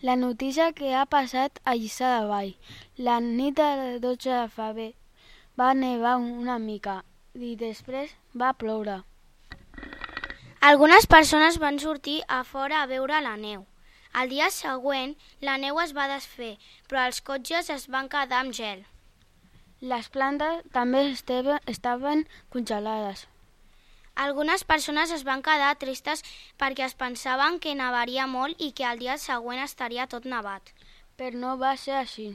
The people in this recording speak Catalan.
La notícia que ha passat a Lliçà de Vall. La nit del 12 de febrer va nevar una mica i després va ploure. Algunes persones van sortir a fora a veure la neu. El dia següent, la neu es va desfer, però els cotxes es van quedar amb gel. Les plantes també estaven congelades. Algunes persones es van quedar tristes perquè es pensaven que nevaria molt i que el dia següent estaria tot nevat. Però no va ser així.